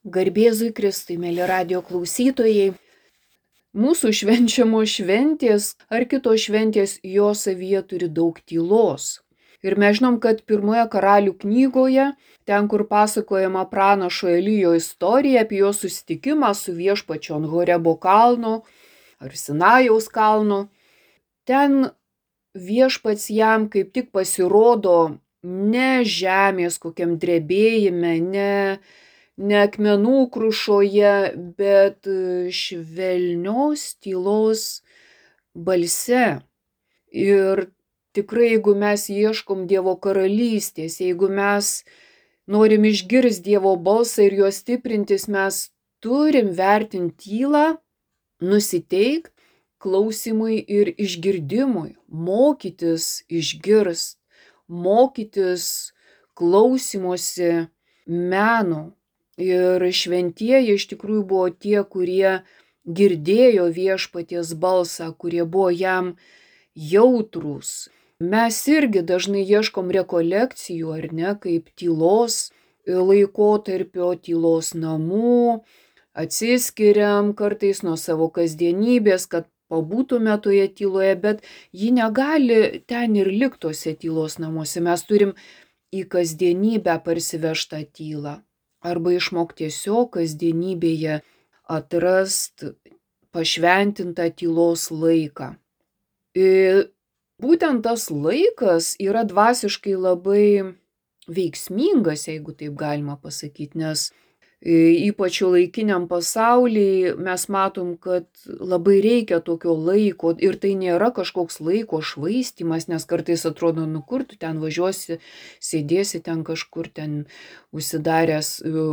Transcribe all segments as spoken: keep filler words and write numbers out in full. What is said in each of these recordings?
Garbėzui Kristui, mėly radio klausytojai, mūsų švenčiamos šventės ar kitos šventės jo savyje turi daug tylos. Ir mes žinom, kad pirmoje karalių knygoje, ten kur pasakojama pranašo Elijo istorija apie jo susitikimą su viešpačiu ant Horebo kalno ar Sinajaus kalno, ten viešpats jam kaip tik pasirodo ne žemės kokiam drebėjime, ne ne akmenų krušoje, bet švelnios tylos balse. Ir tikrai, jeigu mes ieškom Dievo karalystės, jeigu mes norim išgirsti Dievo balsą ir jo stiprintis, mes turim vertinti tylą, nusiteikt klausimui ir išgirdimui, mokytis išgirst, mokytis klausymosi meno. Ir šventieji iš tikrųjų buvo tie, kurie girdėjo viešpaties balsą, kurie buvo jam jautrūs. Mes irgi dažnai ieškom rekolekcijų, ar ne, kaip tylos laikotarpio, tylos namų, atsiskiriam kartais nuo savo kasdienybės, kad pabūtume toje tyloje, bet ji negali ten ir likti tose tylos namuose. Mes turim į kasdienybę parsivežtą tylą. Arba išmok tiesiog kasdienybėje atrast pašventintą tylos laiką. Ir būtent tas laikas yra dvasiškai labai veiksmingas, jeigu taip galima pasakyti, nes ypač šiuolaikiniam pasaulyje mes matom, kad labai reikia tokio laiko ir tai nėra kažkoks laiko švaistymas, nes kartais atrodo, nu kur tu ten važiuosi, sėdėsi ten kažkur ten užsidaręs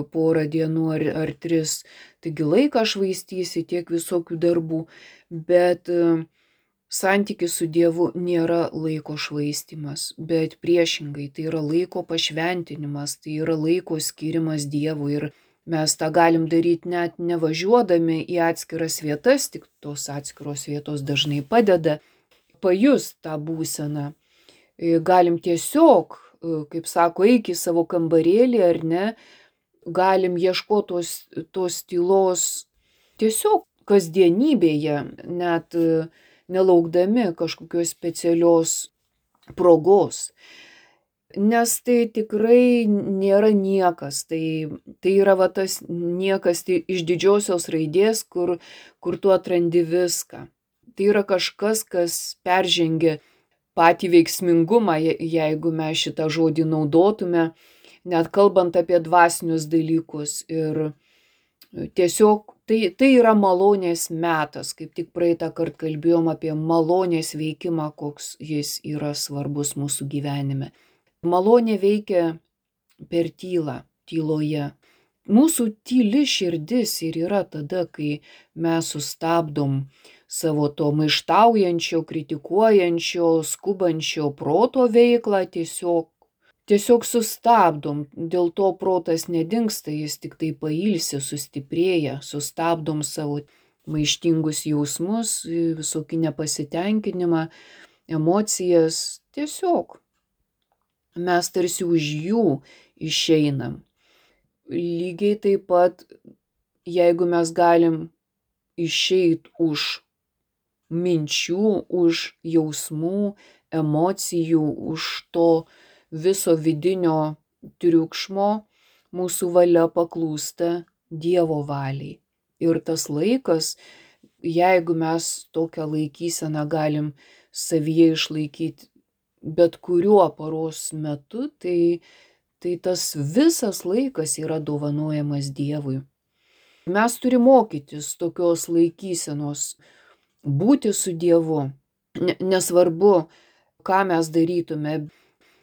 porą dienų ar, ar tris, taigi laiką švaistysi tiek visokių darbų, bet santykis su Dievu nėra laiko švaistymas, bet priešingai, tai yra laiko pašventinimas, tai yra laiko skirimas Dievui ir mes tą galim daryti net nevažiuodami į atskiras vietas, tik tos atskiros vietos dažnai padeda pajust tą būseną. Galim tiesiog, kaip sako, eik į savo kambarėlį ar ne, galim ieškoti tos, tos tylos tiesiog kasdienybėje, net nelaukdami kažkokios specialios progos. Nes tai tikrai nėra niekas, tai, tai yra va tas niekas tai iš didžiosios raidės, kur, kur tu atrandi viską. Tai yra kažkas, kas peržengia patį veiksmingumą, jeigu mes šitą žodį naudotume, net kalbant apie dvasinius dalykus. Ir tiesiog tai, tai yra malonės metas, kaip tik praeitą kartą kalbėjom apie malonės veikimą, koks jis yra svarbus mūsų gyvenime. Malonė veikia per tylą, tyloje. Mūsų tyli širdis ir yra tada, kai mes sustabdom savo to maištaujančio, kritikuojančio, skubančio proto veiklą, tiesiog, tiesiog sustabdom. Dėl to protas nedingsta, jis tik tai pailsi, sustiprėja, sustabdom savo maištingus jausmus, visokį nepasitenkinimą, emocijas, tiesiog. Mes tarsi už jų išeinam. Lygiai taip pat, jeigu mes galim išeit už minčių, už jausmų, emocijų, už to viso vidinio triukšmo, mūsų valia paklūsta Dievo valiai. Ir tas laikas, jeigu mes tokią laikyseną galim savyje išlaikyti bet kuriuo paros metu, tai, tai tas visas laikas yra dovanojamas Dievui. Mes turime mokytis tokios laikysenos, būti su Dievu. Nesvarbu, ką mes darytume,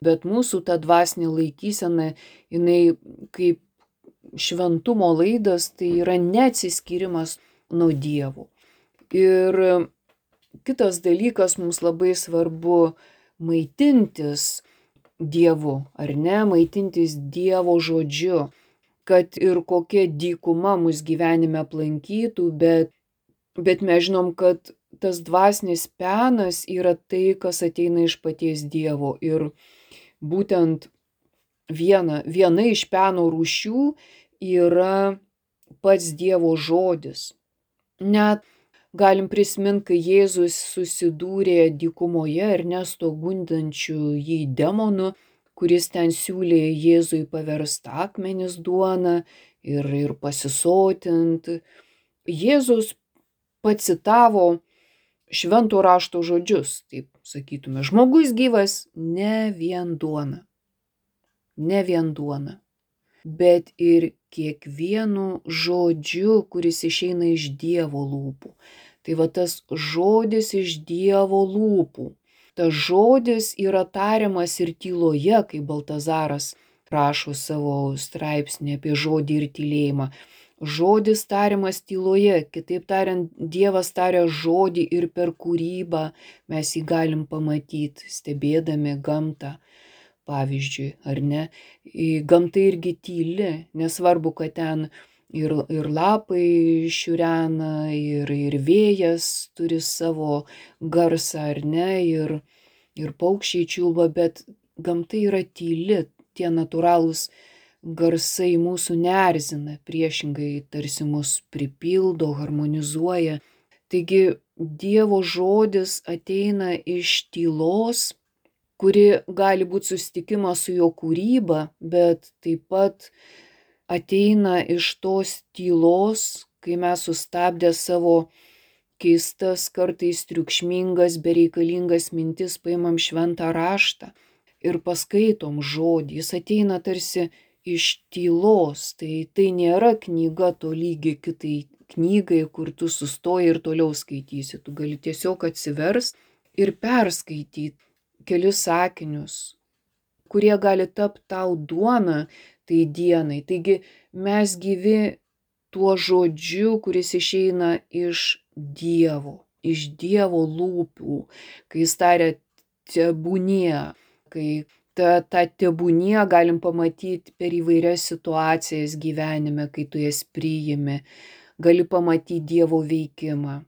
bet mūsų ta dvasinė laikysena, jinai kaip šventumo laidas, tai yra neatsiskyrimas nuo Dievo. Ir kitas dalykas, mums labai svarbu maitintis Dievu, ar ne, maitintis Dievo žodžiu, kad ir kokia dykuma mus gyvenime aplankytų, bet, bet mes žinom, kad tas dvasinis penas yra tai, kas ateina iš paties Dievo. Ir būtent viena, viena iš peno rūšių yra pats Dievo žodis. Net galim prisiminti, kai Jėzus susidūrė dykumoje ar nesto gundančių jį demonų, kuris ten siūlė Jėzui paversti akmenis duona ir, ir pasisotinti. Jėzus pacitavo švento rašto žodžius, taip sakytume, žmogus gyvas ne vien duona, ne vien duona, bet ir kiekvienu žodžiu, kuris išeina iš Dievo lūpų. Tai va tas žodis iš Dievo lūpų. Tas žodis yra tariamas ir tyloje, kai Baltazaras rašo savo straipsnį apie žodį ir tylėjimą. Žodis tariamas tyloje, kitaip tariant, Dievas taria žodį ir per kūrybą mes jį galim pamatyti, stebėdami gamtą. Pavyzdžiui, ar ne? Gamta irgi tyli, nesvarbu, kad ten ir, ir lapai šiurena, ir, ir vėjas turi savo garsą, ar ne, ir, ir paukščiai čiulba, bet gamta yra tyli, tie natūralūs garsai mūsų neerzina, priešingai tarsi mus pripildo, harmonizuoja. Taigi Dievo žodis ateina iš tylos, kuri gali būti susitikimas su jo kūryba, bet taip pat ateina iš tos tylos, kai mes sustabdę savo keistas, kartais triukšmingas, bereikalingas mintis paimam šventą raštą ir paskaitom žodį. Jis ateina tarsi iš tylos, tai tai nėra knyga tolygi kitai knygai, kur tu sustoji ir toliau skaitysi. Tu gali tiesiog atsiverst ir perskaityti kelis sakinius, kurie gali tapti tau duona tai dienai. Taigi mes gyvi tuo žodžiu, kuris išeina iš Dievo, iš Dievo lūpų, kai jis taria tebūnie, kai tą, tą tebūnie galim pamatyti per įvairias situacijas gyvenime, kai tu jas priimi. Gali pamatyti Dievo veikimą,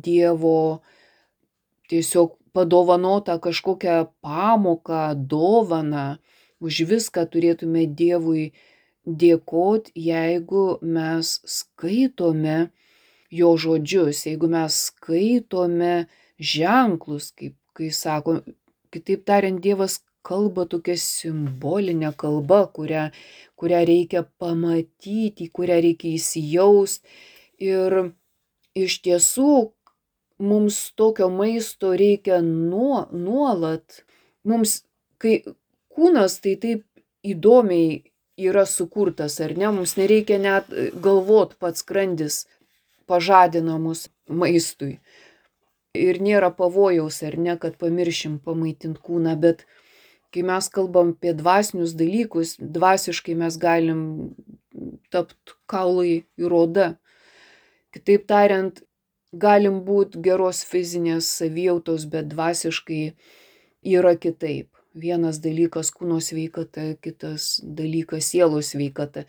Dievo tiesiog padovanotą kažkokią pamoką, dovaną. Už viską turėtume Dievui dėkoti, jeigu mes skaitome jo žodžius, jeigu mes skaitome ženklus, kaip kai sako, kitaip tariant, Dievas kalba tokia simbolinė kalba, kurią, kurią reikia pamatyti, kurią reikia įsijausti. Ir iš tiesų mums tokio maisto reikia nuo, nuolat. Mums, kai kūnas tai taip įdomiai yra sukurtas, ar ne, mums nereikia net galvot, pats skrandis pažadina mus maistui. Ir nėra pavojaus, ar ne, kad pamiršim pamaitinti kūną, bet kai mes kalbam apie dvasinius dalykus, dvasiškai mes galim tapti kaulai ir oda. Kitaip tariant, galim būti geros fizinės savijautos, bet dvasiškai yra kitaip. Vienas dalykas kūno sveikata, kitas dalykas sielos sveikata.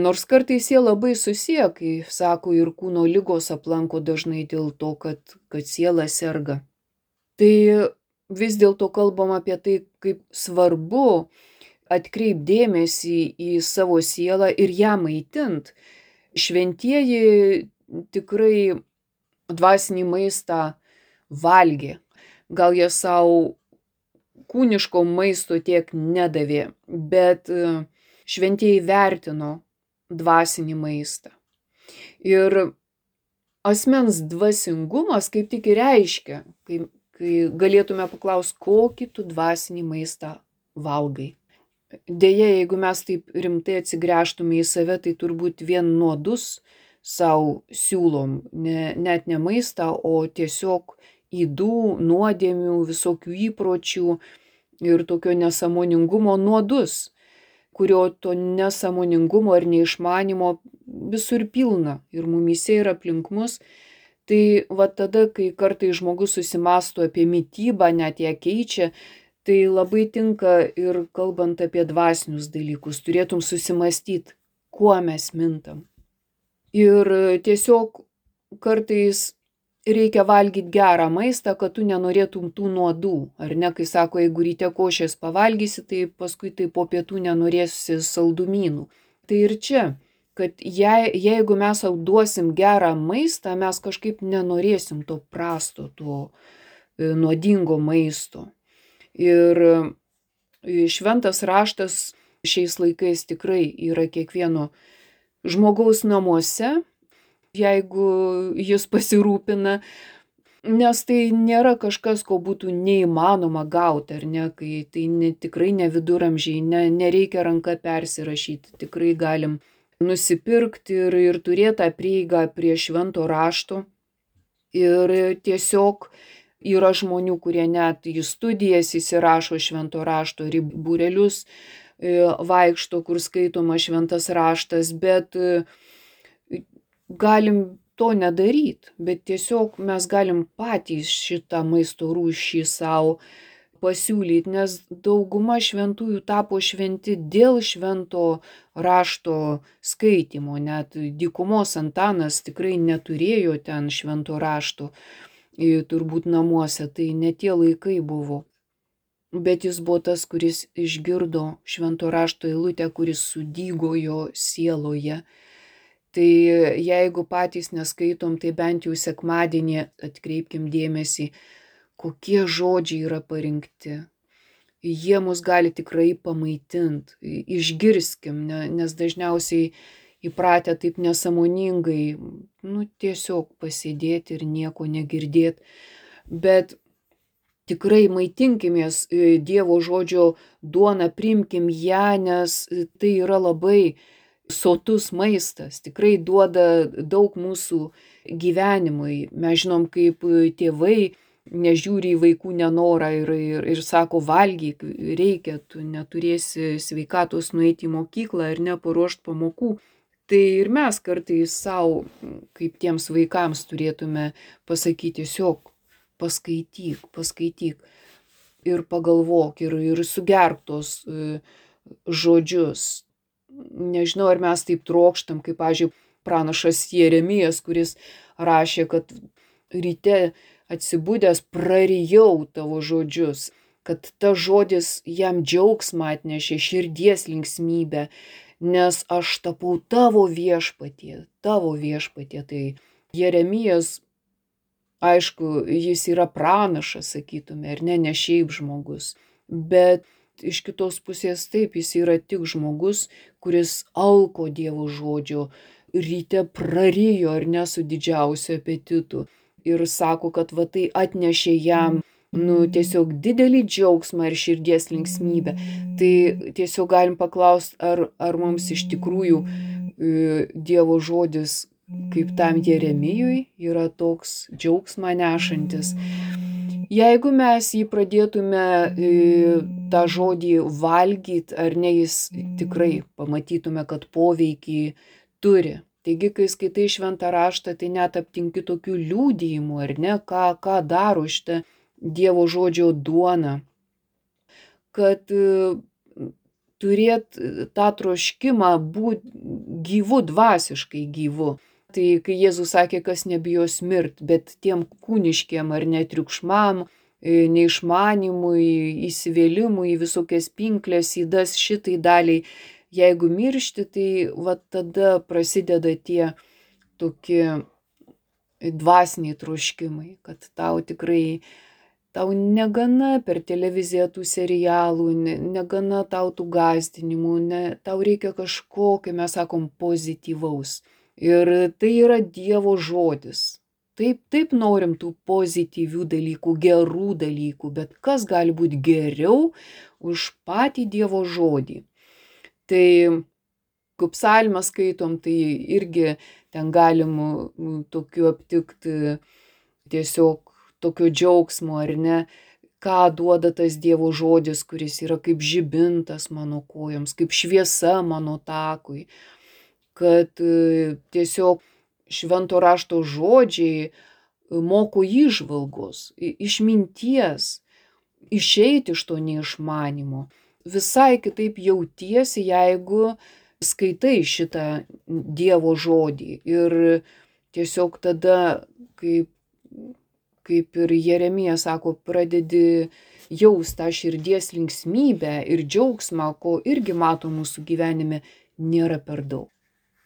Nors kartais jie labai susiję, kai sako, ir kūno ligos aplanko dažnai dėl to, kad, kad siela serga. Tai vis dėlto kalbam apie tai, kaip svarbu atkreipti dėmesį į savo sielą ir ją maitint. Šventieji tikrai dvasinį maistą valgė. Gal jie savo kūniško maisto tiek nedavė, bet šventieji vertino dvasinį maistą. Ir asmens dvasingumas kaip tik ir reiškia, kai, kai galėtume paklausti, kokį tu dvasinį maistą valgai. Deja, jeigu mes taip rimtai atsigręžtume į save, tai turbūt vien nuodus savo siūlom, ne, net ne maistą, o tiesiog ydų, nuodėmių, visokių įpročių ir tokio nesąmoningumo nuodus, kurio to nesąmoningumo ir neišmanimo visur pilna ir mumyse ir aplink mus. Tai va tada, kai kartais žmogus susimąsto apie mitybą, net ją keičia, tai labai tinka ir kalbant apie dvasinius dalykus, turėtum susimąstyti, kuo mes mintam. Ir tiesiog kartais reikia valgyti gerą maistą, kad tu nenorėtum tų nuodų. Ar ne, kai sako, jeigu ryte košės pavalgysi, tai paskui tai po pietų nenorėsi saldumynų. Tai ir čia kad jei, jeigu mes sau duosim gerą maistą, mes kažkaip nenorėsim to prasto, to e, nuodingo maisto. Ir e, šventas raštas šiais laikais tikrai yra kiekvieno žmogaus namuose, jeigu jis pasirūpina, nes tai nėra kažkas, ko būtų neįmanoma gauti, ar ne, kai tai ne, tikrai ne viduramžiai, ne, nereikia ranka persirašyti, tikrai galim nusipirkti ir, ir turėti tą prieigą prie švento rašto. Ir tiesiog yra žmonių, kurie net į studijas įsirašo švento rašto, ir į būrelius vaikšto, kur skaitoma šventas raštas, bet galim to nedaryti, bet tiesiog mes galim patys šitą maisto rūšį savo pasiūlyti, nes dauguma šventųjų tapo šventi dėl švento rašto skaitimo. Net dykumos Antanas tikrai neturėjo ten švento rašto, turbūt namuose, tai ne tie laikai buvo. Bet jis buvo tas, kuris išgirdo švento rašto eilutę, kuris sudygo jo sieloje. Tai jeigu patys neskaitom, tai bent jau sekmadienį atkreipkim dėmesį, kokie žodžiai yra parinkti. Jie mus gali tikrai pamaitinti, išgirskim, nes dažniausiai įpratę taip nesąmoningai, nu, tiesiog pasėdėti ir nieko negirdėti. Bet tikrai maitinkimės Dievo žodžio duona, priimkim ją, nes tai yra labai sotus maistas, tikrai duoda daug mūsų gyvenimui. Mes žinom, kaip tėvai nežiūri į vaikų nenorą ir, ir, ir sako, valgyk, reikia, tu neturėsi sveikatos nueiti į mokyklą ir neparuošti pamokų. Tai ir mes kartais savo, kaip tiems vaikams, turėtume pasakyti, tiesiog paskaityk, paskaityk ir pagalvok ir, ir sugerk tos žodžius. Nežinau, ar mes taip trokštam, kaip, pavyzdžiui, pranašas Jeremijas, kuris rašė, kad ryte atsibudęs prarijau tavo žodžius, kad ta žodis jam džiaugsmą atnešė, širdies linksmybę, nes aš tapau tavo viešpatie, tavo viešpatie. Tai Jeremijas, aišku, jis yra pranašas, sakytume, ir ne, ne šiaip žmogus, bet iš kitos pusės taip, jis yra tik žmogus, kuris alko Dievo žodžio, ryte prarijo ir ne su didžiausiu apetitu. Ir sako, kad va tai atnešė jam, nu, tiesiog didelį džiaugsmą ir širdies linksmybę. Tai tiesiog galim paklausti, ar, ar mums iš tikrųjų e, Dievo žodis, kaip tam Jeremijui, yra toks džiaugsmą nešantis. Jeigu mes jį pradėtume tą žodį valgyti, ar ne, jis tikrai pamatytume, kad poveikį turi. Taigi, kai skaitai šventą raštą, tai net aptinki tokių liudijimų, ar ne, ką, ką daro šitą Dievo žodžio duona. Kad turėt tą troškimą būti gyvu, dvasiškai gyvu. Tai kai Jėzus sakė, kas nebijos mirt, bet tiem kūniškiem ar netriukšmam, neišmanimui, įsivėlimui į visokias pinklės, įdas šitai daliai, jeigu miršti, tai va tada prasideda tie tokie dvasiniai troškimai, kad tau tikrai, tau negana per televiziją tų serialų, negana tau tų gąsdinimų, ne, tau reikia kažko, kai mes sakom, pozityvaus. Ir tai yra Dievo žodis. Taip, taip norim tų pozityvių dalykų, gerų dalykų, bet kas gali būti geriau už patį Dievo žodį. Tai, kaip psalmę skaitom, tai irgi ten galim tokiu aptikti tiesiog tokio džiaugsmo, ar ne, ką duoda tas Dievo žodis, kuris yra kaip žibintas mano kojoms, kaip šviesa mano takui. Kad tiesiog švento rašto žodžiai moko įžvalgos, išminties, išeiti iš to neišmanimo. Visai kitaip jautiesi, jeigu skaitai šitą Dievo žodį. Ir tiesiog tada, kaip, kaip ir Jeremijas sako, pradedi jaust tą širdies linksmybę ir džiaugsmą, ko irgi mato mūsų gyvenime, nėra per daug.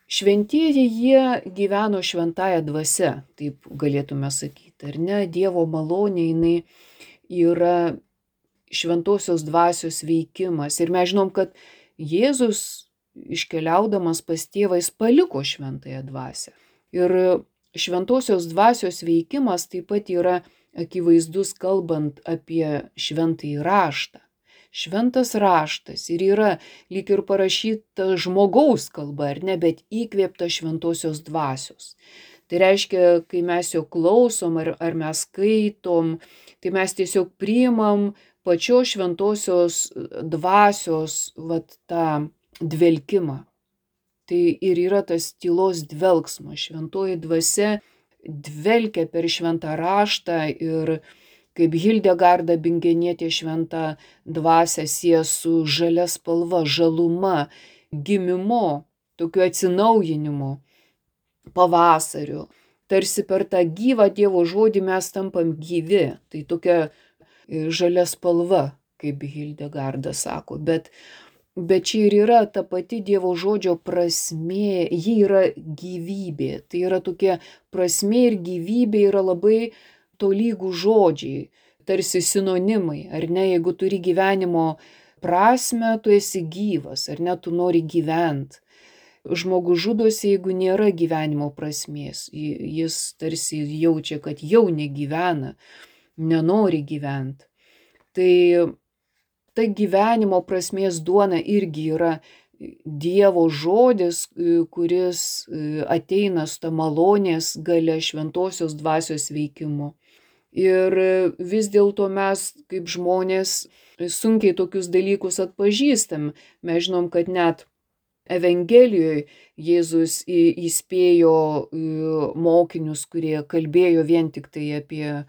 Šventieji jie gyveno šventąją dvasia, taip galėtume sakyti, ar ne? Dievo malonė jinai yra šventosios dvasios veikimas. Ir mes žinom, kad Jėzus iškeliaudamas pas tėvą jis paliko šventąją dvasią. Ir šventosios dvasios veikimas taip pat yra akivaizdus kalbant apie šventąjį raštą. Šventas raštas ir yra lyg ir parašyta žmogaus kalba, ar ne, bet įkvėpta šventosios dvasios. Tai reiškia, kai mes jo klausom ar, ar mes skaitom, tai mes tiesiog priimam pačios šventosios dvasios vat, tą dvelkimą. Tai ir yra tas tylos dvelksmas. Šventoji dvasia dvelkia per šventą raštą ir kaip Hildegarda Bingenietė šventą dvasią sieja su žalia spalva, žaluma, gimimu, tokiu atsinaujinimu, pavasariu. Tarsi per tą gyvą Dievo žodį mes tampam gyvi. Tai tokia žalia spalva, kaip Hildegarda sako. Bet, bet čia ir yra ta pati Dievo žodžio prasmė, ji yra gyvybė. Tai yra tokia prasmė ir gyvybė yra labai tolygų žodžiai, tarsi sinonimai, ar ne, jeigu turi gyvenimo prasmę, tu esi gyvas, ar ne, tu nori gyventi. Žmogus žudosi, jeigu nėra gyvenimo prasmės, jis tarsi jaučia, kad jau negyvena, nenori gyventi. Tai ta gyvenimo prasmės duona irgi yra Dievo žodis, kuris ateina su ta malonės galia šventosios dvasios veikimu. Ir vis dėlto mes kaip žmonės sunkiai tokius dalykus atpažįstam. Mes žinom, kad net Evangelijoje Jėzus įspėjo mokinius, kurie kalbėjo vien tik tai apie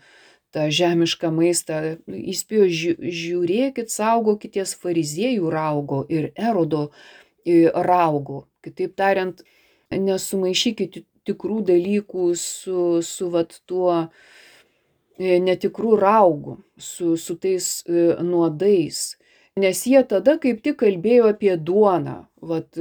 tą žemišką maistą. Įspėjo, žiūrėkit, saugokitės fariziejų raugo ir Erodo raugo. Kitaip tariant, nesumaišykit tikrų dalykų su, su vat tuo netikrų raugų, su, su tais nuodais. Nes jie tada kaip tik kalbėjo apie duoną, vat,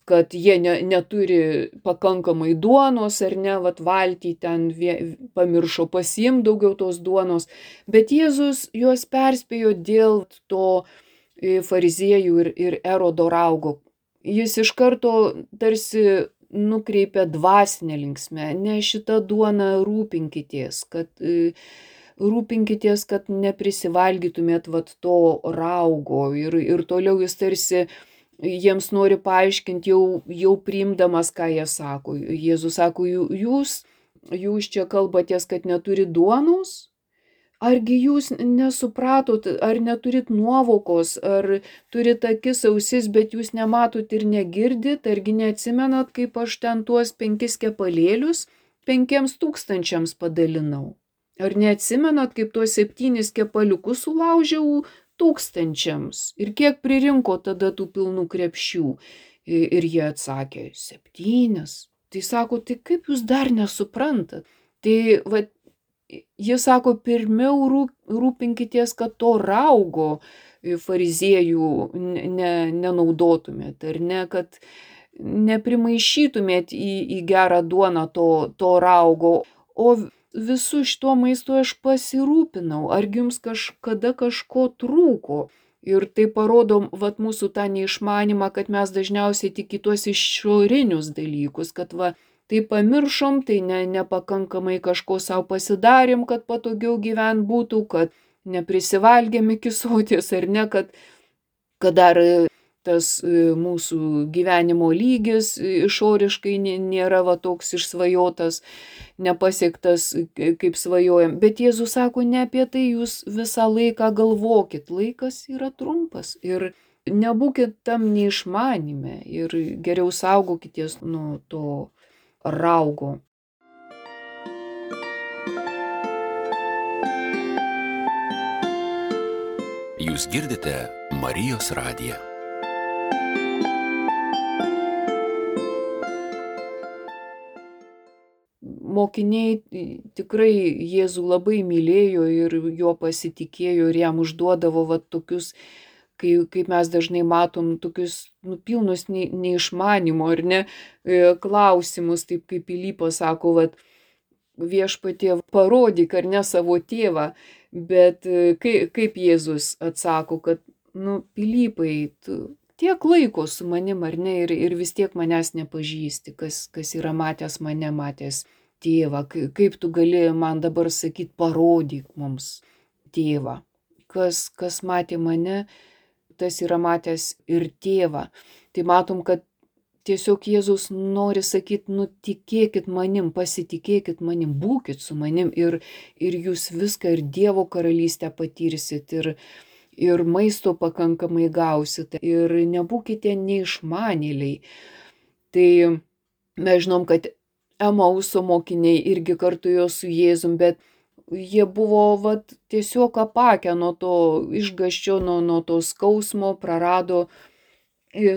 kad jie ne, neturi pakankamai duonos ar ne, vat valtį ten vie, pamiršo pasiimti daugiau tos duonos. Bet Jėzus juos perspėjo dėl to fariziejų ir, ir Erodo raugo. Jis iš karto tarsi nukreipia dvasinę linksmę, ne šitą duoną rūpinkitės, kad, rūpinkitės, kad neprisivalgytumėt vat to raugo. Ir, ir toliau jis tarsi jiems nori paaiškinti, jau, jau priimdamas, ką jie sako. Jėzus sako, jūs, jūs čia kalbatės, kad neturi duonos? Argi jūs nesupratot, ar neturit nuovokos, ar turit akis ausis, bet jūs nematot ir negirdit, argi neatsimenat, kaip aš ten tuos penkis kepalėlius penkiems tūkstančiams padalinau? Ar neatsimenat, kaip tuos septynis kepaliukus sulaužiau tūkstančiams? Ir kiek pririnko tada tų pilnų krepšių? Ir jie atsakė, septynis. Tai sako, tai kaip jūs dar nesuprantat? Tai va, jis sako, pirmiau rūpinkitės, kad to raugo fariziejų ne, nenaudotumėt, ar ne, kad neprimaišytumėt į, į gerą duoną to, to raugo, o visų šito maisto aš pasirūpinau, argi jums kažkada kažko trūko. Ir tai parodom vat, mūsų tą neišmanimą, kad mes dažniausiai tik į tuos išorinius dalykus, kad va, tai pamiršom, tai ne, nepakankamai kažko savo pasidarėm, kad patogiau gyvent būtų, kad neprisivalgėm iki soties, ar ne, kad, kad dar tas mūsų gyvenimo lygis išoriškai nėra va, toks išsvajotas, nepasiektas, kaip svajojam. Bet Jėzus sako, ne apie tai, jūs visą laiką galvokit, laikas yra trumpas ir nebūkit tam neišmanime ir geriau saugokitės nuo to raugo. Jūs girdite Marijos radiją. Mokiniai tikrai Jėzų labai mylėjo ir jo pasitikėjo ir jam užduodavo va, tokius kai, kaip mes dažnai matom tokius nu, pilnus nei, neišmanimo ar ne klausimus, taip kaip Pilypas sako, vat, viešpatie parodyk ar ne savo tėvą, bet kaip, kaip Jėzus atsako, kad, nu, Pilypai, tu tiek laiko su manim ar ne ir, ir vis tiek manęs nepažįsti, kas, kas yra matęs mane, matęs tėvą, kaip tu gali man dabar sakyti, parodyk mums tėvą. Kas, kas matė mane, tas yra matęs ir tėvą. Tai matom, kad tiesiog Jėzus nori sakyti, nu tikėkit manim, pasitikėkit manim, būkit su manim ir, ir jūs viską ir Dievo karalystę patirsit ir, ir maisto pakankamai gausite ir nebūkite neišmanėliai. Tai mes žinom, kad Emauso mokiniai irgi kartu jo su Jėzum, bet jie buvo vat, tiesiog apakę nuo to išgąsčio, nuo, nuo to skausmo, prarado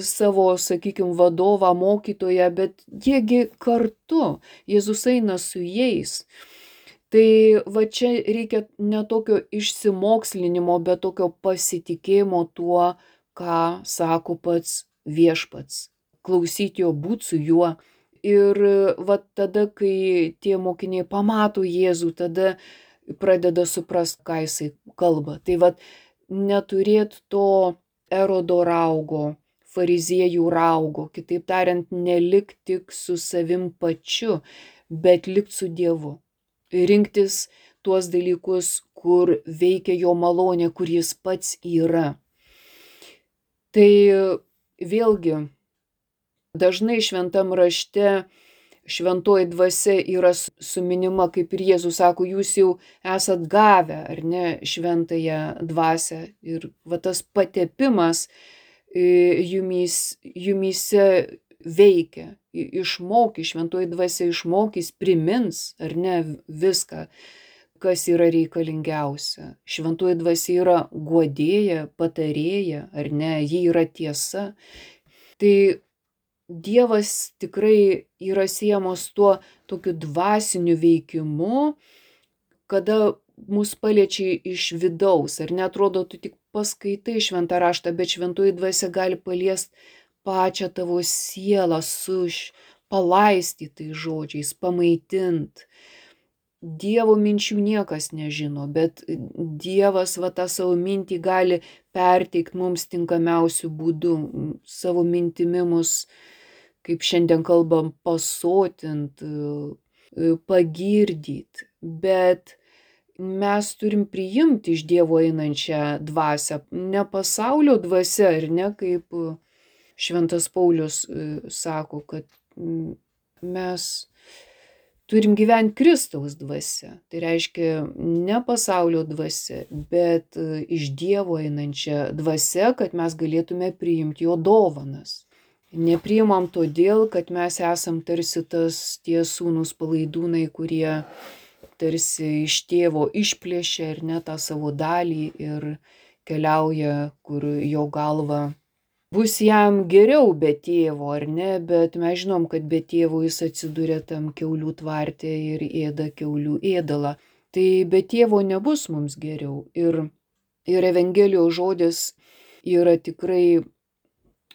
savo, sakykime, vadovą, mokytoją, bet jiegi kartu, Jėzus eina su jais. Tai va čia reikia ne tokio išsimokslinimo, bet tokio pasitikėjimo tuo, ką sako pats viešpats. Klausyti jo, būti su juo. Ir va tada, kai tie mokiniai pamato Jėzų, tada pradeda suprasti, ką jisai kalba. Tai va neturėt to Erodo raugo, fariziejų raugo, kitaip tariant, nelik tik su savim pačiu, bet likt su Dievu. Rinktis tuos dalykus, kur veikia jo malonė, kur jis pats yra. Tai vėlgi, dažnai šventam rašte šventoji dvasia yra suminima, kaip ir Jėzus sako, jūs jau esat gavę, ar ne, šventąją dvasią. Ir va tas patepimas jumys, jumyse veikia, išmokys, šventoji dvasia išmokys, primins, ar ne, viską, kas yra reikalingiausia. Šventoji dvasia yra guodėja, patarėja, ar ne, ji yra tiesa. Tai Dievas tikrai yra siejamas tuo tokiu dvasiniu veikimu, kada mus paliečia iš vidaus, ar netrodo, tu tik paskaitai šventą raštą, bet šventoji dvasia gali paliesti pačią tavo sielą su palaistytais žodžiais, pamaitint. Dievo minčių niekas nežino, bet Dievas va tą savo mintį gali perteikti mums tinkamiausių būdų, savo mintimi mus, kaip šiandien kalbam, pasotint, pagirdyti, bet mes turim priimti iš Dievo einančią dvasią, ne pasaulio dvasia, ar ne, kaip šventas Paulius sako, kad mes turim gyventi Kristaus dvasia. Tai reiškia ne pasaulio dvasia, bet iš Dievo einančią dvasia, kad mes galėtume priimti jo dovanas. Nepriimam todėl, kad mes esam tarsi tas tie sūnūs palaidūnai, kurie tarsi iš tėvo išplėšia ir ne tą savo dalį ir keliauja, kur jo galva bus jam geriau be tėvo, ar ne, bet mes žinom, kad be tėvo jis atsiduria tam kiaulių tvarte ir ėda kiaulių ėdalą. Tai be tėvo nebus mums geriau. Ir, ir Evangelijos žodis yra tikrai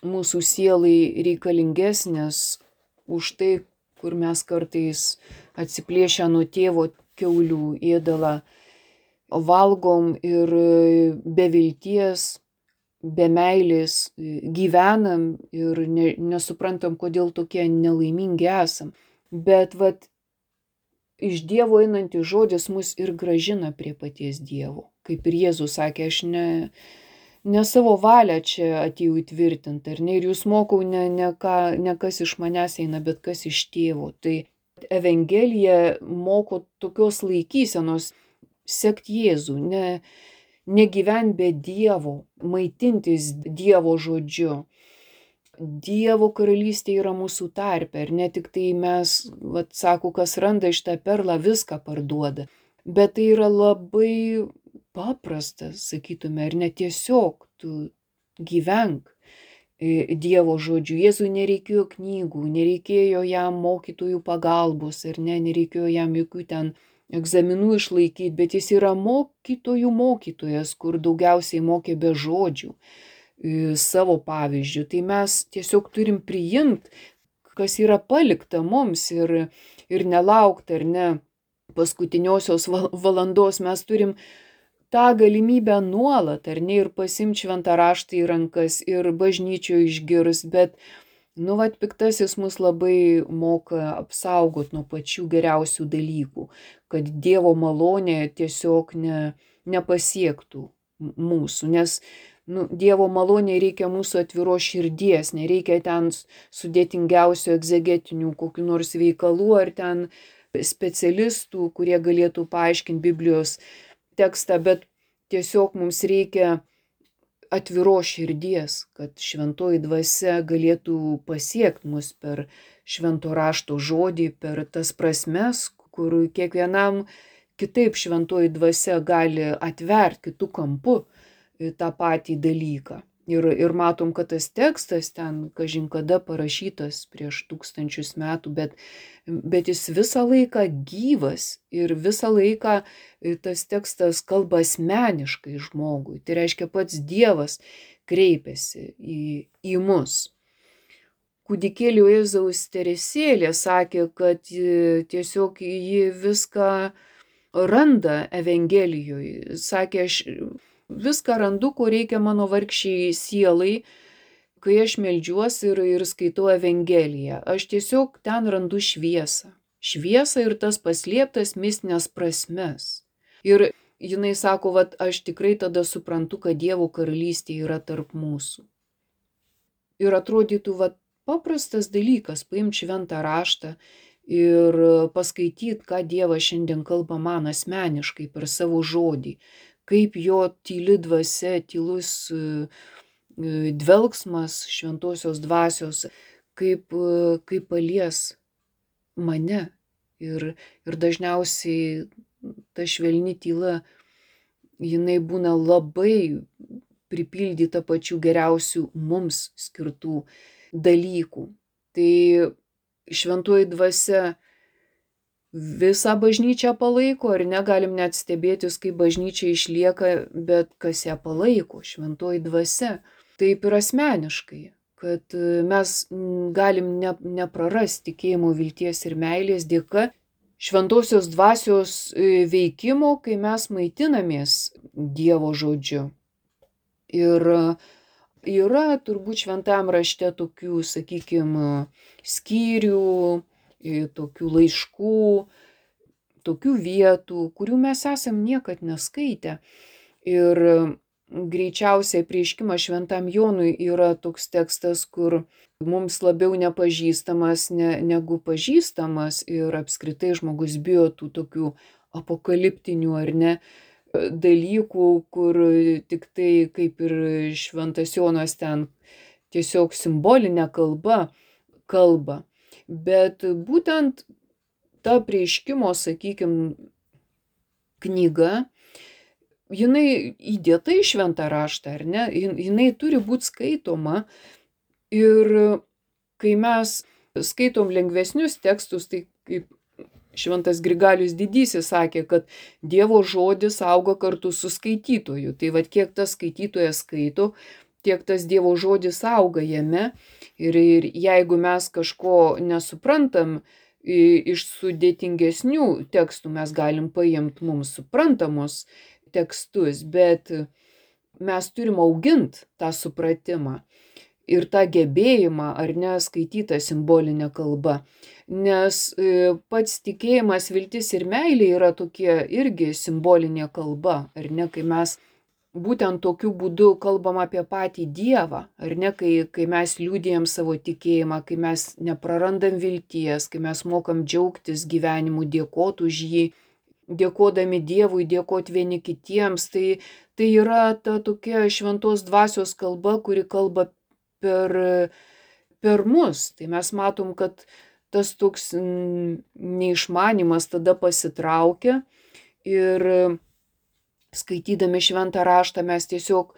mūsų sielai reikalingesnės už tai, kur mes kartais atsiplėšę nuo tėvo kiaulių ėdalą valgom ir be vilties, be meilės gyvenam ir ne, nesuprantam, kodėl tokie nelaimingi esam. Bet vat iš Dievo einantis žodis mus ir gražina prie paties Dievo. Kaip ir Jėzus sakė, aš ne, ne savo valią čia atėjau įtvirtinti, ar ne, ir jūs mokau ne, ne, ką, ne kas iš manęs eina, bet kas iš tėvo. Tai Evangelija moko tokios laikysenos, sekt Jėzų, ne, negyvent be Dievo, maitintis Dievo žodžiu. Dievo karalystė yra mūsų tarpe, ir ne tik tai mes, vat, sako, kas randa šitą perlą, viską parduoda, bet tai yra labai paprasta, sakytume, ir ne tiesiog tu gyvenk Dievo žodžiu. Jėzui nereikėjo knygų, nereikėjo jam mokytojų pagalbos, ir ne, nereikėjo jam jokių ten egzaminų išlaikyti, bet jis yra mokytojų mokytojas, kur daugiausiai mokė be žodžių. savo pavyzdžių. Tai mes tiesiog turim priimti, kas yra palikta mums ir, ir nelaukti, ar ne, paskutiniosios valandos. Mes turim tą galimybę nuolat, ar ne, ir pasimti šventą raštą į rankas, ir bažnyčioje išgirs, bet, nu, vat, piktasis mus labai moka apsaugot nuo pačių geriausių dalykų, kad Dievo malonė tiesiog ne, nepasiektų mūsų, nes, nu, Dievo malonė reikia mūsų atviros širdies, nereikia ten sudėtingiausių egzegetinių kokių nors veikalų ar ten specialistų, kurie galėtų paaiškinti Biblijos tekstą, bet tiesiog mums reikia atviros širdies, kad šventoji dvasia galėtų pasiekti mus per švento rašto žodį, per tas prasmes, kur kiekvienam kitaip šventoji dvasia gali atverti kitų kampų tą patį dalyką. Ir, ir matom, kad tas tekstas ten, kažin kada parašytas prieš tūkstančius metų, bet, bet jis visą laiką gyvas ir visą laiką tas tekstas kalba asmeniškai žmogui. Tai reiškia, pats Dievas kreipiasi į, į mus. Kūdikėlio Jėzaus Teresėlė sakė, kad tiesiog ji viską randa Evangelijoje. Sakė, aš viską randu, ko reikia mano vargšiai sielai, kai aš meldžiuosi ir, ir skaitau Evangeliją. Aš tiesiog ten randu šviesą. Šviesą ir tas paslėptas mistinės prasmes. Ir jinai sako, vat, aš tikrai tada suprantu, kad Dievo karalystė yra tarp mūsų. Ir atrodytų, vat, paprastas dalykas, paimti šventą raštą ir paskaityti, ką Dievas šiandien kalba man asmeniškai per savo žodį. Kaip jo tyli dvasia, tylus dvelksmas šventosios dvasios, kaip, kaip palies mane. Ir, ir dažniausiai ta švelni tyla, jinai būna labai pripildyta pačių geriausių mums skirtų dalykų. Tai šventoji dvasia visą bažnyčią palaiko, ar negalim net stebėtis, kaip bažnyčia išlieka, bet kas ją palaiko, šventoji dvasia. Taip ir asmeniškai, kad mes galim ne, neprarasti tikėjimo, vilties ir meilės dėka šventosios dvasios veikimo, kai mes maitinamės Dievo žodžiu. Ir yra turbūt šventam rašte tokių, sakykime, skyrių, tokių laiškų, tokių vietų, kurių mes esam niekad neskaitę. Ir greičiausiai Apreiškimas šventam Jonui yra toks tekstas, kur mums labiau nepažįstamas ne, negu pažįstamas, ir apskritai žmogus bijo tų tokių apokaliptinių ar ne dalykų, kur tik tai kaip ir šventas Jonas ten tiesiog simbolinė kalba kalba. Bet būtent ta Apreiškimo, sakykime, knyga, jinai įdėta į šventą raštą, ar ne? Jinai turi būti skaitoma, ir kai mes skaitom lengvesnius tekstus, tai kaip šventas Grigalius Didysis sakė, kad Dievo žodis auga kartu su skaitytoju. Tai vad, kiek tas skaitytojas skaito, tiek tas Dievo žodis auga jame. Ir, ir jeigu mes kažko nesuprantam iš sudėtingesnių tekstų, mes galim paimti mums suprantamus tekstus, bet mes turim auginti tą supratimą ir tą gebėjimą, ar ne, skaityti simbolinę kalbą. Nes pats tikėjimas, viltis ir meilė yra tokie irgi simbolinė kalba, ar ne, kai mes būtent tokiu būdu kalbam apie patį Dievą, ar ne, kai, kai mes liudijam savo tikėjimą, kai mes neprarandam vilties, kai mes mokam džiaugtis gyvenimu, dėkoti už jį, dėkodami Dievui, dėkoti vieni kitiems. Tai, tai yra ta tokia šventos dvasios kalba, kuri kalba per, per mus. Tai mes matom, kad tas toks neišmanimas tada pasitraukia, ir skaitydami šventą raštą mes tiesiog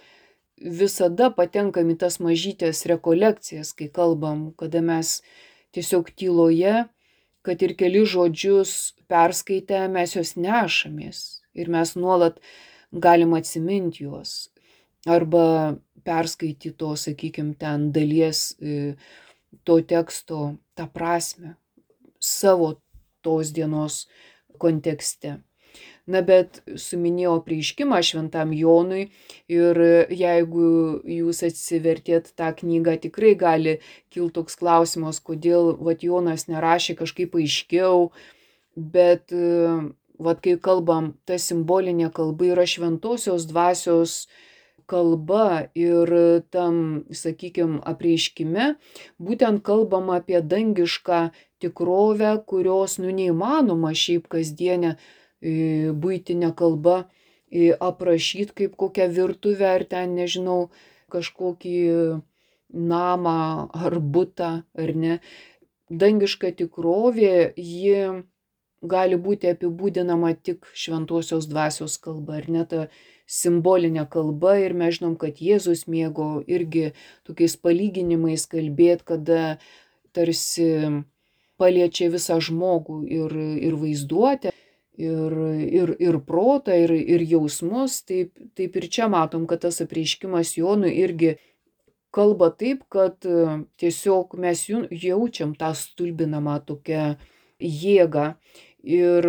visada patenkam į tas mažytės rekolekcijas, kai kalbam, kada mes tiesiog tyloje, kad ir keli žodžius perskaitę, mes juos nešamės ir mes nuolat galim atsiminti juos. Arba perskaityto, sakykime, ten dalies to teksto tą prasme savo tos dienos kontekste. Na, bet suminėjau apreiškimą šventam Jonui ir jeigu jūs atsivertėt tą knygą, tikrai gali kilti toks klausimas, kodėl vat Jonas nerašė kažkaip aiškiau, bet vat kai kalbam, ta simbolinė kalba yra šventosios dvasios kalba ir tam, sakykime, apreiškime būtent kalbam apie dangišką tikrovę, kurios nu neįmanoma šiaip kasdienę buitinę kalbą aprašyti kaip kokią virtuvę ar ten, nežinau, kažkokį namą ar butą, ar ne. Dangiška tikrovė, ji gali būti apibūdinama tik šventosios dvasios kalba, ar ne, ta simbolinė kalba. Ir mes žinom, kad Jėzus mėgo irgi tokiais palyginimais kalbėti, kada tarsi paliečia visą žmogų ir, ir vaizduotę, ir, ir, ir protą, ir, ir jausmus. Taip, taip ir čia matom, kad tas apreiškimas Jonui irgi kalba taip, kad tiesiog mes jaučiam tą stulbinamą tokią jėgą. Ir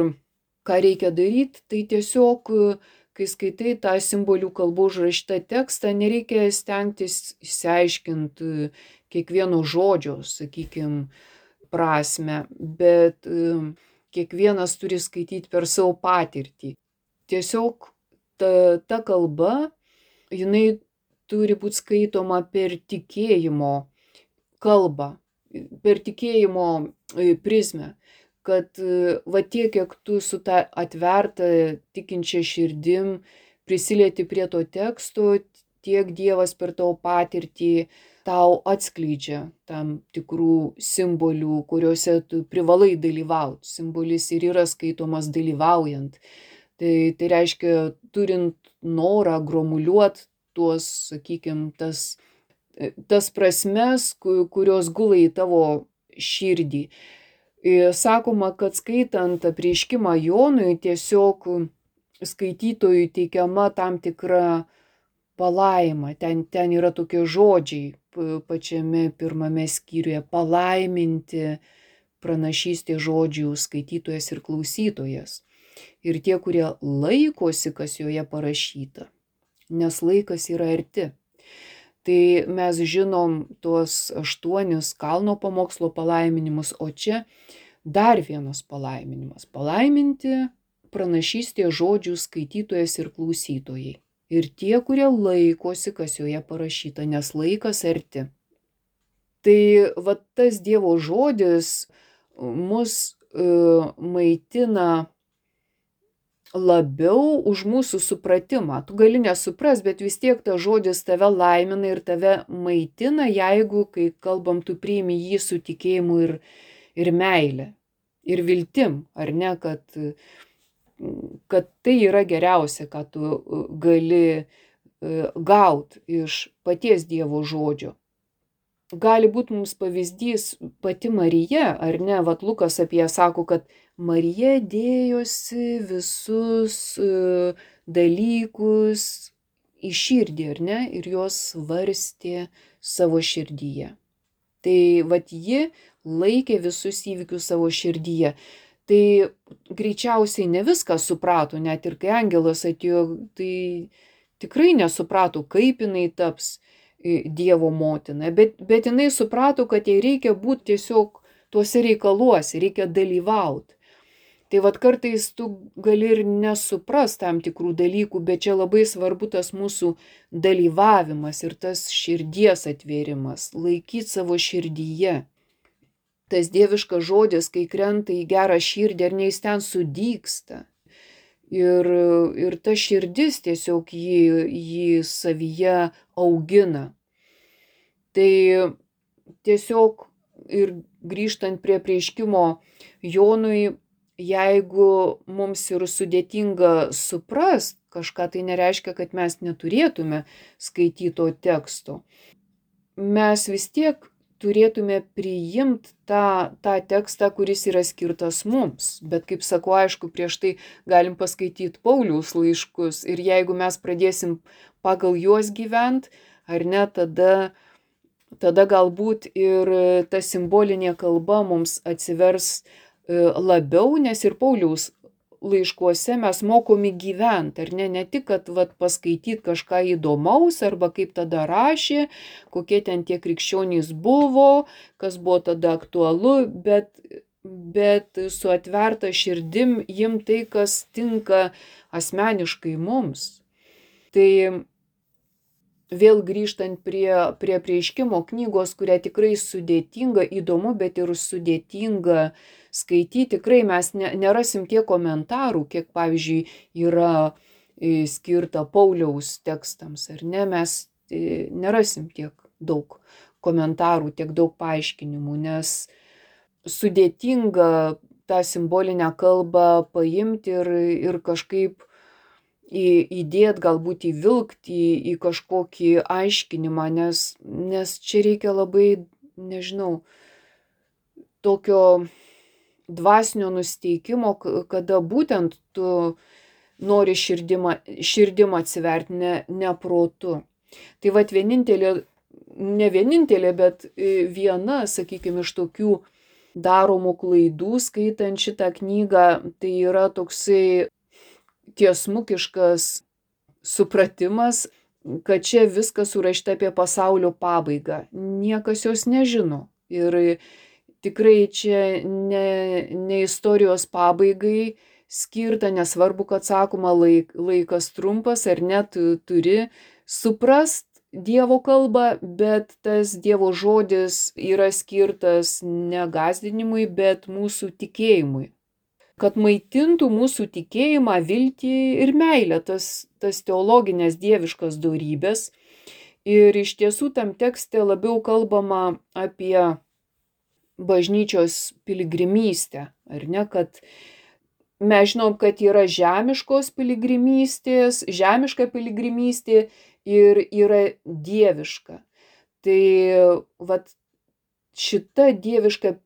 ką reikia daryti, tai tiesiog, kai skaitai tą simbolių kalbų užrašytą tekstą, nereikia stengtis išsiaiškinti kiekvieno žodžio, sakykime, prasme, bet kiekvienas turi skaityti per savo patirtį. Tiesiog ta, ta kalba, jinai turi būti skaitoma per tikėjimo kalbą, per tikėjimo prizmę, kad va tiek, kiek tu su ta atverta tikinčia širdim prisilieti prie to teksto, tiek Dievas per tavo patirtį tau atskleidžia tam tikrų simbolių, kuriuose tu privalai dalyvauti. Simbolis ir yra skaitomas dalyvaujant. Tai, tai reiškia, turint norą gromuliuoti tuos, sakykime, tas, tas prasmes, kurios gula į tavo širdį. Sakoma, kad skaitant apreiškimą Jonui, tiesiog skaitytojui teikiama tam tikra palaima. Ten, ten yra tokie žodžiai pačiame pirmame skyriuje: palaiminti pranašystė žodžių skaitytojas ir klausytojas. Ir tie, kurie laikosi, kas joje parašyta, nes laikas yra arti. Tai mes žinom tuos aštuonis kalno pamokslo palaiminimus, o čia dar vienas palaiminimas: palaiminti pranašystė žodžių skaitytojas ir klausytojai. Ir tie, kurie laikosi, kas joje parašyta, nes laikas arti. Tai va tas Dievo žodis mus uh, maitina labiau už mūsų supratimą. Tu gali nesupras, bet vis tiek tas žodis tave laimina ir tave maitina, jeigu, kai kalbam, tu priimi jį su tikėjimu ir, ir meile, ir viltim, ar ne, kad kad tai yra geriausia, ką tu gali gauti iš paties Dievo žodžio. Gali būti mums pavyzdys pati Marija, ar ne? Vat Lukas apie ją sako, kad Marija dėjosi visus dalykus į širdį, ar ne? Ir jos svarstė savo širdyje. Tai vat ji laikė visus įvykius savo širdyje. Tai greičiausiai ne viską suprato, net ir kai angelas atėjo, tai tikrai nesuprato, kaip jinai taps Dievo motina, bet, bet jinai suprato, kad jai reikia būti tiesiog tuose reikaluose, reikia dalyvauti. Tai vat kartais tu gali ir nesupras tam tikrų dalykų, bet čia labai svarbu tas mūsų dalyvavimas ir tas širdies atvėrimas, laikyti savo širdyje. Tas dieviškas žodis, kai krenta į gerą širdį, ar ne, jis ten sudygsta. Ir, ir ta širdis tiesiog jį, jį savyje augina. Tai tiesiog ir grįžtant prie apreiškimo Jonui, jeigu mums ir sudėtinga suprast kažką, tai nereiškia, kad mes neturėtume skaityto teksto. Mes vis tiek turėtume priimti tą, tą tekstą, kuris yra skirtas mums. Bet kaip sakau, aišku, prieš tai galim paskaityti Pauliaus laiškus ir jeigu mes pradėsim pagal juos gyventi, ar ne, tada, tada galbūt ir ta simbolinė kalba mums atsivers labiau, nes ir Pauliaus laiškuose mes mokomi gyventi, ar ne, ne tik, kad vat, paskaityti kažką įdomaus, arba kaip tada rašė, kokie ten tie krikščionys buvo, kas buvo tada aktualu, bet, bet su atverta širdim jim tai, kas tinka asmeniškai mums. Tai vėl grįžtant prie, prie Apreiškimo knygos, kurią tikrai sudėtinga, įdomu, bet ir sudėtinga skaityti, tikrai mes ne, nerasim tiek komentarų, kiek, pavyzdžiui, yra skirta Pauliaus tekstams, ar ne, mes nerasim tiek daug komentarų, tiek daug paaiškinimų, nes sudėtinga tą simbolinę kalbą paimti ir, ir kažkaip įdėt, galbūt įvilkti į, į kažkokį aiškinimą, nes, nes čia reikia labai, nežinau, tokio dvasinio nusteikimo, kada būtent tu nori širdim, širdim atsiverti, ne, ne protu. Tai vat vienintelė, ne vienintelė, bet viena, sakykime, iš tokių daromų klaidų skaitant šitą knygą, tai yra toksai tiesmukiškas supratimas, kad čia viskas surašyta apie pasaulio pabaigą. Niekas jos nežino. Ir tikrai čia ne, ne istorijos pabaigai skirta, nesvarbu, kad sakoma laik, laikas trumpas, ar net turi suprast Dievo kalbą, bet tas Dievo žodis yra skirtas ne gąsdinimui, bet mūsų tikėjimui. Kad maitintų mūsų tikėjimą, viltį ir meilę, tas, tas teologinės dieviškas dorybės. Ir iš tiesų tam tekste labiau kalbama apie bažnyčios piligrimystę, ar ne, kad mes žinom, kad yra žemiškos piligrimystės, žemiška piligrimystė ir yra dieviška. Tai vat šita dieviška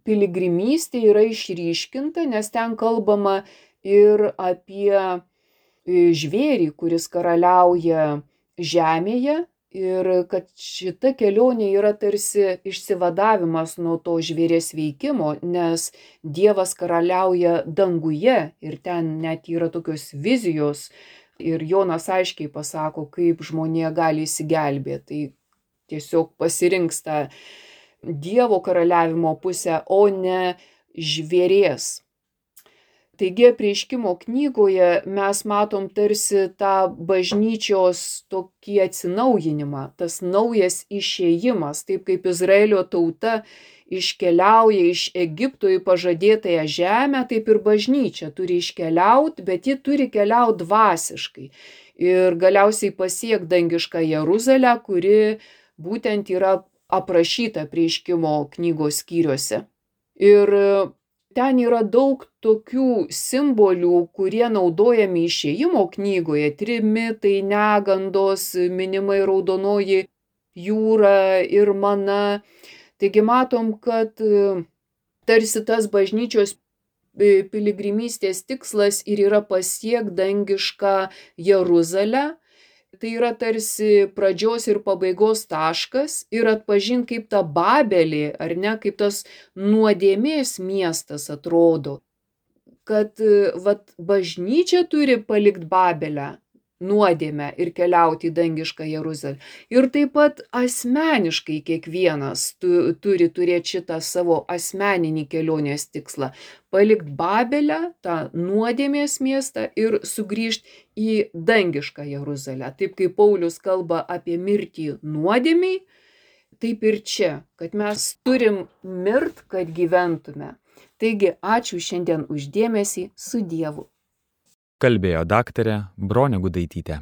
piligrimystė yra išryškinta, nes ten kalbama ir apie žvėrį, kuris karaliauja žemėje, ir kad šita kelionė yra tarsi išsivadavimas nuo to žvėrės veikimo, nes Dievas karaliauja danguje ir ten net yra tokios vizijos ir Jonas aiškiai pasako, kaip žmonija gali įsigelbėti. Tai tiesiog pasirinks tą Dievo karaliavimo pusę, o ne žvėrės. Taigi Apreiškimo knygoje mes matom tarsi tą bažnyčios tokį atsinaujinimą, tas naujas išėjimas, taip kaip Izraelio tauta iškeliauja iš Egipto į pažadėtąją žemę, taip ir bažnyčia turi iškeliauti, bet ji turi keliauti dvasiškai. Ir galiausiai pasiek dangišką Jeruzalę, kuri būtent yra aprašyta Apreiškimo knygos skyriuose. Ir ten yra daug tokių simbolių, kurie naudojami išėjimo knygoje. Trimitai, negandos, minimai raudonoji jūra ir mana. Taigi matom, kad tarsi tas bažnyčios piligrimystės tikslas ir yra pasiekt dangišką Jeruzalę. Tai yra tarsi pradžios ir pabaigos taškas ir atpažint, kaip ta Babelė, ar ne, kaip tas nuodėmės miestas atrodo. Kad vat, bažnyčia turi palikt Babelę, nuodėmę ir keliauti į dangišką Jeruzalę. Ir taip pat asmeniškai kiekvienas tu, turi turėti šitą savo asmeninį kelionės tikslą. Palikt Babelę, tą nuodėmės miestą ir sugrįžti į dangišką Jeruzalę. Taip kaip Paulius kalba apie mirtį nuodėmiai, taip ir čia, kad mes turim mirt, kad gyventume. Taigi, ačiū šiandien už dėmesį, su Dievu. Kalbėjo daktarė Bronė Gudaitytė.